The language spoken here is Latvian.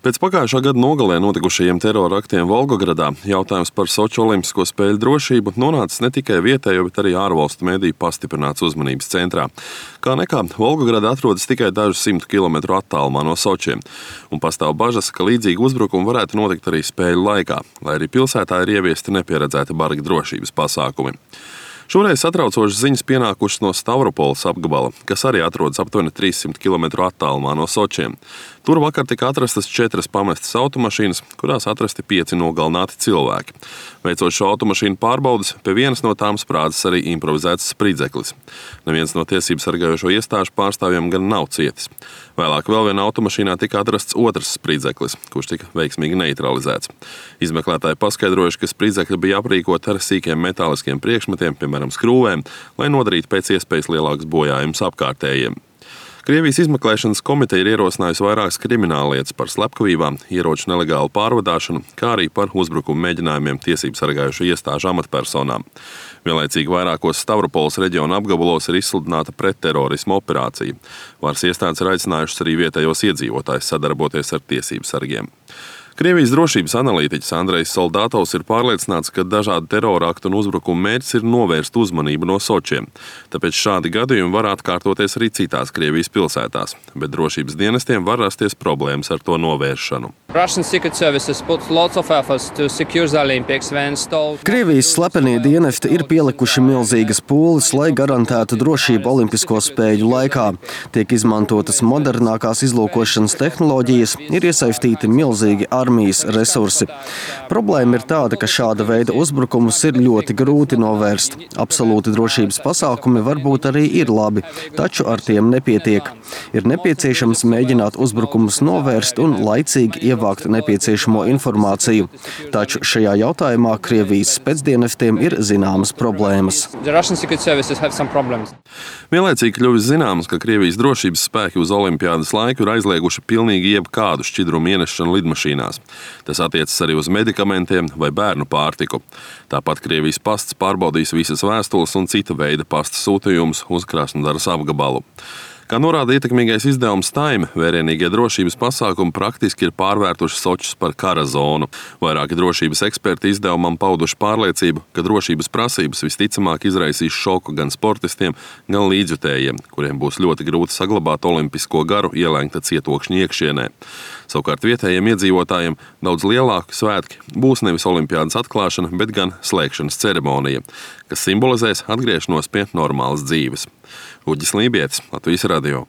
Pēc pagājušā gada nogalē notikušajiem terora aktiem Volgogradā jautājums par Soči olimpisko spēļu drošību nonācis ne tikai vietējo, bet arī ārvalstu mediju pastiprināts uzmanības centrā. Kā nekā, Volgograda atrodas tikai dažus 100 kilometru attālumā no Sočiem, un pastāv bažas, ka līdzīgi uzbrukumi varētu notikt arī spēļu laikā, lai arī pilsētā ir ieviesti nepieredzēti bargi drošības pasākumi. Šoreiz satraucošas ziņas pienākušas no Stavropoles apgabala, kas arī atrodas aptuveni 300 km attālumā no Sočiem. Tur vakar tika atrastas 4 pamestas automašīnas, kurās atrasti 5 nogalināti cilvēki. Veicot šo automašīnu pārbaudes, pie vienas no tām sprādzis arī improvizēts spridzeklis. Neviens no tiesību sargājošo iestāžu pārstāvjiem gan nav cietis. Vēlāk vēl vienā automašīnā tika atrasts otrs spridzeklis, kurš tika veiksmīgi neutralizēts. Izmeklētāji paskaidrojuši, ka spridzekļi bija aprīkoti ar sīkiem metāliskiem priekšmetiem, piemēram, skrūvēm, lai nodarītu pēc iespējas lielākus bojājumus apkārtējiem. Krievijas izmeklēšanas komiteja ir ierosinājusi vairākas krimināllietas par slepkavībām, ieroču nelegālu pārvadāšanu, kā arī par uzbrukumu mēģinājumiem tiesību sargājošo iestāžu amatpersonām. Vienlaicīgi vairākos Stavropoles reģiona apgabalos ir izsludināta pretterorisma operācija. Varas iestādes ir aicinājušas arī vietējos iedzīvotājus sadarboties ar tiesību sargiem. Krievijas drošības analītiķis Andrejs Soldatovs ir pārliecināts, ka dažādu terora aktu un uzbrukumu mērķis ir novērst uzmanību no Sočiem. Tāpēc šādi gadījumi var atkārtoties arī citās Krievijas pilsētās, bet drošības dienestiem var rasties problēmas ar to novēršanu. Krievijas slepenie dienesti ir pielikuši milzīgas pūles, lai garantētu drošību olimpisko spēļu laikā. Tiek izmantotas modernākās izlūkošanas tehnoloģijas, ir iesaistīti milzīgi armijas resursi. Problēma ir tāda, ka šāda veida uzbrukumus ir ļoti grūti novērst. Absolūti drošības pasākumi varbūt arī ir labi, taču ar tiem nepietiek. Ir nepieciešams mēģināt uzbrukumus novērst un laicīgi ievākt nepieciešamo informāciju. Taču šajā jautājumā Krievijas spēcdienestiem ir zināmas problēmas. Vienlaicīgi kļuvis zināms, ka Krievijas drošības spēki uz olimpiādas laiku ir aizlieguši pilnīgi jebkādu šķidrumu ienešanu lidmašīnās. Tas attiecas arī uz medikamentiem vai bērnu pārtiku. Tāpat Krievijas pasts pārbaudīs visas vēstules un cita veida pasta sūtījumus uz Krasnodaras apgabalu. Kā norāda ietekmīgais izdevums Time, vērienīgie drošības pasākumi praktiski ir pārvērtuši Sočus par kara zonu. Vairāki drošības eksperti izdevumam pauduši pārliecību, ka drošības prasības visticamāk izraisīs šoku gan sportistiem, gan līdzjutējiem, kuriem būs ļoti grūti saglabāt olimpisko garu ielēgta cietokšņa iekšienē. Savukārt vietējiem iedzīvotājiem daudz lielāki svētki būs nevis olimpiādas atklāšana, bet gan slēgšanas ceremonija, kas simbolizēs atgriešanos pie normālas dzīves. Uģis Lībietis, Latvijas radio.